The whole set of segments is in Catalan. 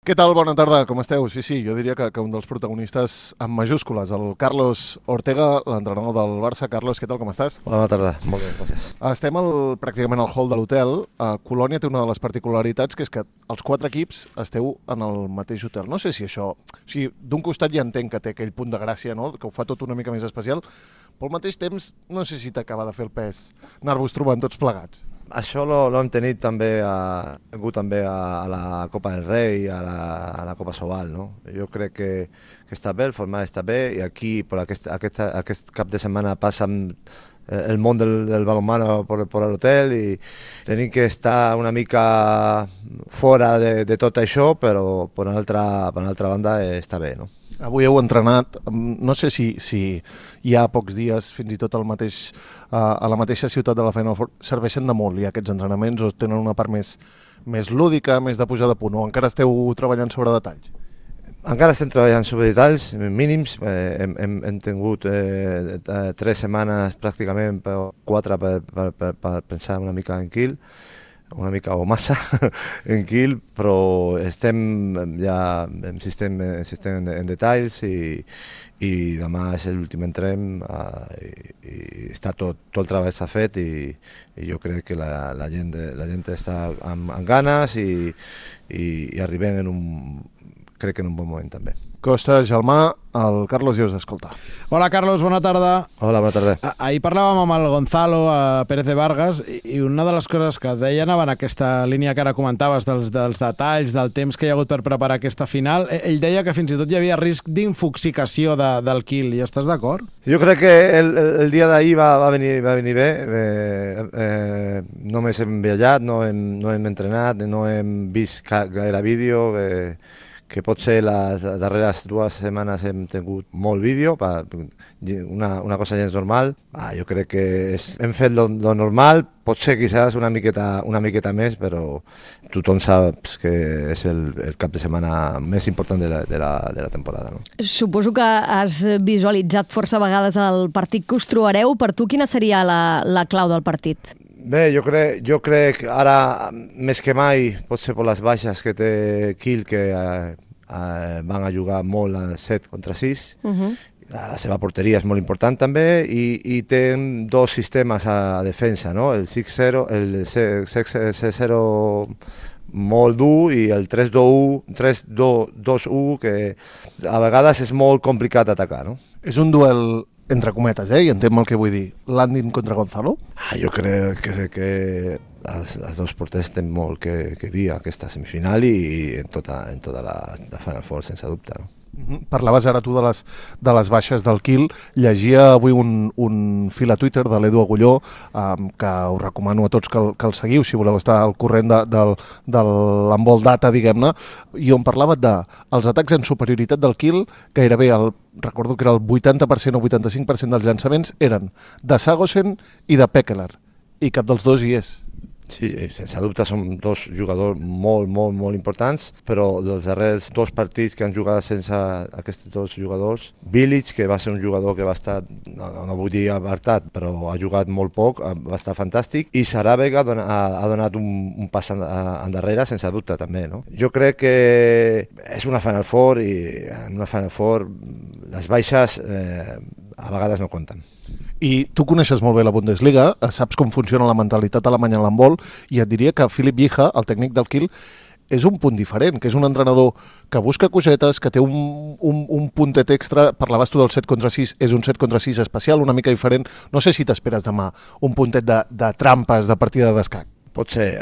Què tal? Bona tarda, com esteu? Sí, jo diria que un dels protagonistes en majúscules, el Carlos Ortega, l'entrenador del Barça. Carlos, què tal, com estàs? Hola, bona tarda. Molt bé, gràcies. Estem pràcticament al hall de l'hotel. Colònia té una de les particularitats, que és que els 4 equips esteu en el mateix hotel. No sé si això... O sigui, d'un costat ja entenc que té aquell punt de gràcia, no?, que ho fa tot una mica més especial, però al mateix temps no sé si t'acaba de fer el pes anar-vos trobant tots plegats. Això l'hem tenit també, també a la Copa del Rei, a la Copa Sobal, no? Jo crec que està bé, el format està bé, i aquí, per aquest cap de setmana, passa el món del balonmano per l'hotel i tenim que estar una mica fora de tot això, però per una altra banda està bé, no? Avui heu entrenat, no sé si hi ha pocs dies, fins i tot a la mateixa ciutat de la Final Four, serveixen de molt ja aquests entrenaments o tenen una part més lúdica, més de pujar de punt, o encara esteu treballant sobre detalls? Encara estem treballant sobre detalls mínims, hem tingut 3 setmanes pràcticament, 4 per pensar una mica en Kiel, una mica o massa en Kiel, però estem ja insistent en detalls i demà és l'últim entrem i està tot el treball s'ha fet i jo crec que la gent està amb ganes i arribem crec que en un bon moment també. Costa, Gelmà, el Carlos ja us escolta. Hola, Carlos, bona tarda. Hola, bona tarda. Ahir parlàvem amb el Gonzalo Pérez de Vargas i una de les coses que deia anava en aquesta línia que ara comentaves dels detalls, del temps que hi ha hagut per preparar aquesta final. Ell deia que fins i tot hi havia risc d'infoxicació del Kiel. I estàs d'acord? Jo crec que el dia d'ahir va venir bé. Només hem viatjat, no hem entrenat, no hem vist gaire vídeo, que potser les darreres 2 setmanes hem tingut molt vídeo, una cosa gens normal. Jo crec que hem fet lo normal, potser quizás una miqueta més, però tothom sap que és el cap de setmana més important de la temporada. No? Suposo que has visualitzat força vegades el partit que us trobareu. Per tu, quina seria la clau del partit? Bé, jo crec ara més que mai, potser per les baixes que té Kiel, que van a jugar molt a 7 contra 6. La seva porteria és molt important també i té 2 sistemes a defensa, no? El 6-0, el 6-0 molt dur i el 3-2-1, que a vegades és molt complicat atacar, no? És un duel entre cometes, i entenc el que vull dir. Landin contra Gonzalo? Jo crec que els 2 porters tenen molt que dir a aquesta semifinal i en tota la Final Four, sense dubte. No? Parlaves ara tu de les baixes del Kiel. Llegia avui un fil a Twitter de l'Edu Agulló, que us recomano a tots que el seguiu si voleu estar al corrent de l'handbol data, diguem-ne, i on parlava dels atacs en superioritat del Kiel. Gairebé recordo que era el 80% o 85% dels llançaments eren de Sagosen i de Pekeler, i cap dels dos hi és. Sí, sense dubte són 2 jugadors molt importants, però dels darrers 2 partits que han jugat sense aquests 2 jugadors, Bilic, que va ser un jugador que va estar, no vull dir apartat, però ha jugat molt poc, va estar fantàstic, i Sarabek ha donat un pas endarrere, sense dubte també. No? Jo crec que és una Final Four i en una Final Four les baixes a vegades no compten. I tu coneixes molt bé la Bundesliga, saps com funciona la mentalitat alemanya en l'handbol, i et diria que Philipp Wiehe, el tècnic del Kiel, és un punt diferent, que és un entrenador que busca cosetes, que té un puntet extra. Parlaves tu del 7 contra 6, és un 7 contra 6 especial, una mica diferent. No sé si t'esperes demà un puntet de trampes, de partida d'escac. Potser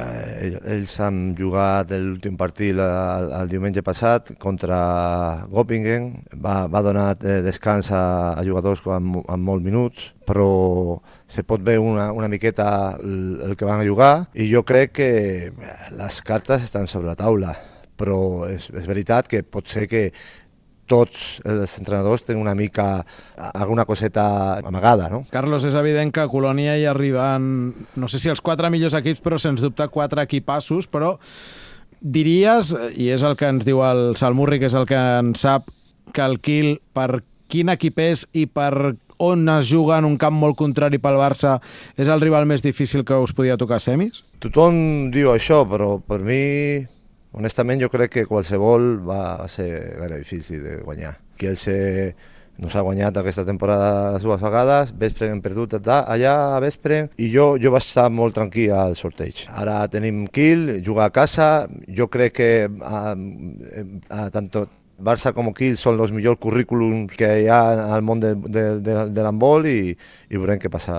ells han jugat l'últim partit el diumenge passat contra Göppingen, va donar descans a jugadors amb molts minuts, però se pot veure una miqueta el que van a jugar i jo crec que les cartes estan sobre la taula, però és veritat que pot ser que tots els entrenadors tenen una mica alguna coseta amagada, no? Carlos, és evident que a Colònia hi arriben, no sé si els 4 millors equips, però sens dubte 4 equipassos, però diries, i és el que ens diu el Salmurri, que és el que en sap, que el Kiel, per quin equip és i per on es juga en un camp molt contrari pel Barça, és el rival més difícil que us podia tocar a semis? Tothom diu això, però per mi Honestament, jo crec que qualsevol va ser gaire difícil de guanyar. Kielce nos ha guanyat aquesta temporada les dues vegades, Veszprem hem perdut allà a Veszprem, i jo vaig estar molt tranquil al sorteig. Ara tenim Kiel, jugar a casa, jo crec que tant Barça com Kiel són els millors currículums que hi ha al món de l'handbol i veurem què passa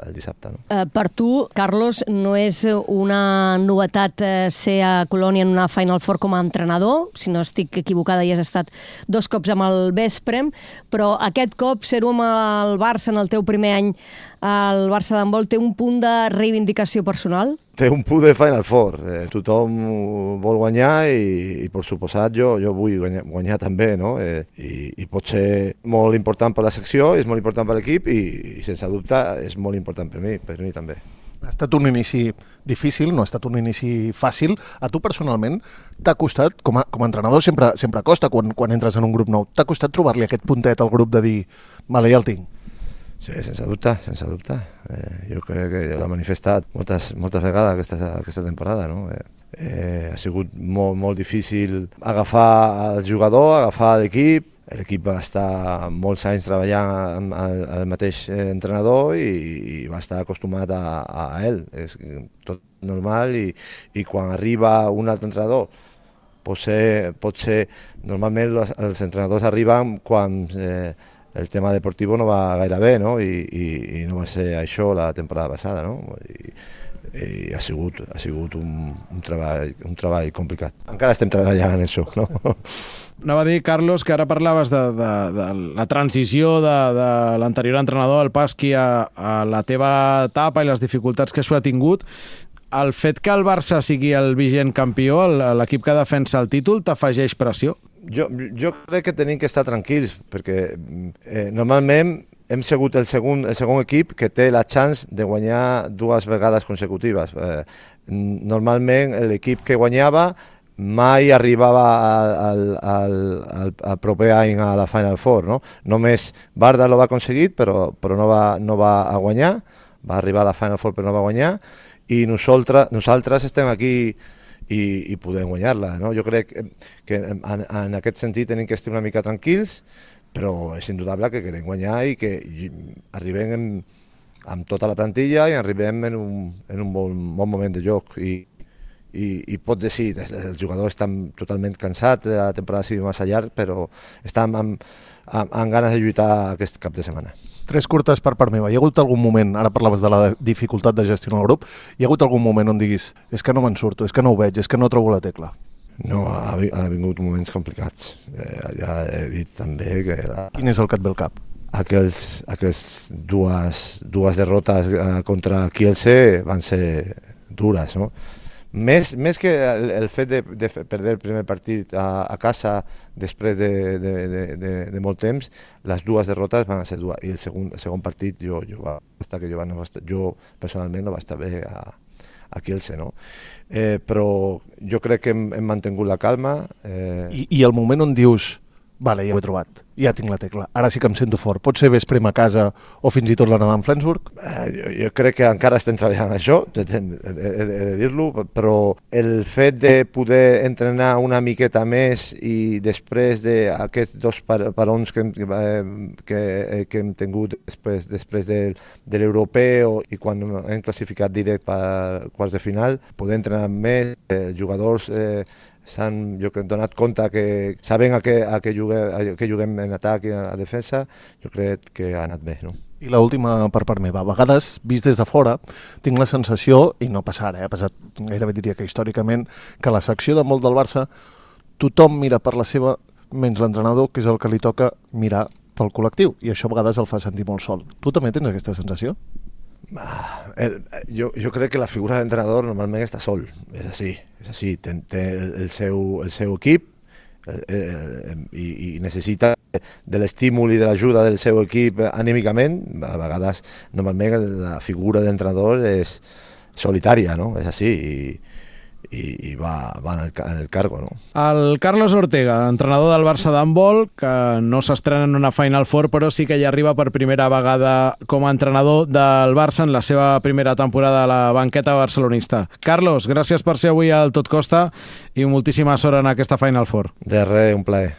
el dissabte. No? Per tu, Carlos, no és una novetat ser a Colònia en una Final Four com a entrenador, si no estic equivocada i has estat 2 cops amb el Veszprem, però aquest cop ser-ho amb el Barça en el teu primer any al Barça d'handbol té un punt de reivindicació personal? Té un punt de Final Four. Tothom vol guanyar i per suposat, jo vull guanyar també, no? I pot ser molt important per la secció, és molt important per l'equip i sense dubte és molt important per mi també. Ha estat un inici difícil, no ha estat un inici fàcil. A tu personalment t'ha costat, com a entrenador sempre costa quan entres en un grup nou, t'ha costat trobar-li aquest puntet al grup de dir, vale, ja el tinc? Sí, sense dubte. Jo crec que l'ha manifestat moltes vegades aquesta temporada. No? Ha sigut molt difícil agafar el jugador, agafar l'equip. L'equip va estar molts anys treballant amb el mateix entrenador i va estar acostumat a ell. És tot normal i quan arriba un altre entrenador pot ser normalment els entrenadors arriben quan el tema deportiu no va gaire bé, no? I no va ser això la temporada passada, no? I ha sigut un treball complicat. Encara estem treballant en això, no? Anava a dir, Carlos, que ara parlaves de la transició de l'anterior entrenador, el Pasqui, a la teva etapa i les dificultats que això ha tingut. El fet que el Barça sigui el vigent campió, l'equip que defensa el títol, t'afegeix pressió? Jo crec que tenim que estar tranquils, perquè normalment hem sigut el segon equip que té la chance de guanyar 2 vegades consecutives. Normalment l'equip que guanyava mai arribava al proper any a la Final Four. No? Només Barda l'ho va aconseguir, però no va a guanyar, va arribar a la Final Four però no va guanyar, i nosaltres estem aquí i podem guanyar-la. No? Jo crec que en aquest sentit tenim que estar una mica tranquils, però és indudable que querem guanyar i que arribem amb tota la plantilla i arribem en un bon moment de joc. I pot dir, els jugadors estan totalment cansats, la temporada ha sigut massa llarg, però estan amb ganes de lluitar aquest cap de setmana. 3 curtes per part meva. Hi ha hagut algun moment, ara parlaves de la dificultat de gestionar el grup, hi ha hagut algun moment on diguis, és que no me'n surto, és que no ho veig, és que no trobo la tecla? No, ha vingut moments complicats. Ja he dit també que... Quin és el que et ve al cap? Aquestes dues derrotes contra Kielce van ser dures, no? Més que el fet de perdre el primer partit a casa després de molt temps, les 2 derrotes van ser dures. I el segon partit jo personalment no va estar bé a Kielce, no? Però jo crec que hem mantingut la calma. I el moment on dius, vale, ja ho he trobat, ja tinc la tecla, ara sí que em sento fort, pot ser Veszprem a casa o fins i tot la Nadal Flensburg? Jo crec que encara estem treballant això, he de dir-lo, però el fet de poder entrenar una miqueta més i després d'aquests 2 parons que hem tingut després de l'europeu i quan hem classificat directe per quarts de final, poder entrenar més, jugadors jo que hem donat compte que saben a què juguem en atac i a defensa, jo crec que ha anat bé, no? I l'última per part meva. A vegades, vist des de fora, tinc la sensació, i no passa ara, ha passat gairebé diria que històricament, que la secció de molt del Barça tothom mira per la seva, menys l'entrenador, que és el que li toca mirar pel col·lectiu, i això a vegades el fa sentir molt sol. Tu també tens aquesta sensació? Jo crec que la figura d'entrenador normalment està sol, és així, té el seu equip i necessita de l'estímul i de l'ajuda del seu equip anímicament. A vegades, normalment, la figura d'entrenador és solitària, no? És així, i va en el cargo, no? El Carlos Ortega, entrenador del Barça d'handbol, que no s'estrena en una Final Four, però sí que hi arriba per primera vegada com a entrenador del Barça en la seva primera temporada a la banqueta barcelonista. Carlos, gràcies per ser avui al Tot Costa i moltíssima sort en aquesta Final Four. De res, un plaer.